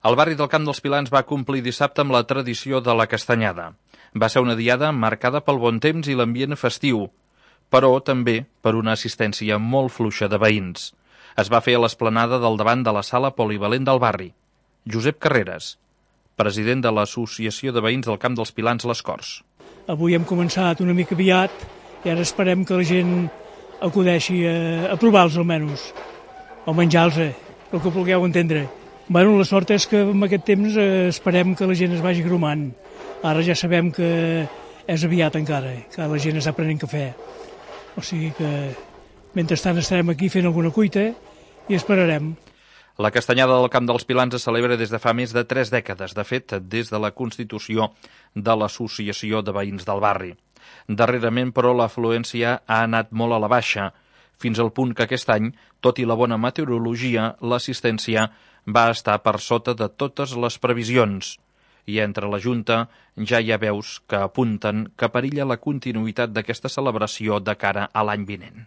El barri del Camp dels Pilans va complir dissabte amb la tradició de la castanyada. Va ser una diada marcada pel bon temps i l'ambient festiu, però també per una assistència molt fluixa de veïns. Es va fer a l'esplanada del davant de la sala polivalent del barri. Josep Carreras, president de l'Associació de Veïns del Camp dels Pilans Les Corts. Avui hem començat una mica aviat i ara esperem que la gent acudeixi a provar-los almenys, o menjar-los, el que vulgueu entendre. Bueno, la sort és que en aquest temps esperem que la gent es vagi grumant. Ara ja sabem que és aviat encara, que la gent està prenent cafè. O sigui que mentrestant estarem aquí fent alguna cuita i esperarem. La castanyada del Camp dels Pilans es celebra des de fa més de 3 dècades, de fet, des de la constitució de l'Associació de Veïns del barri. Darrerament, però, l'afluència ha anat molt a la baixa, fins al punt que aquest any, tot i la bona meteorologia, l'assistència va estar per sota de totes les previsions. I entre la Junta ja hi ha veus que apunten que perilla la continuïtat d'aquesta celebració de cara a l'any vinent.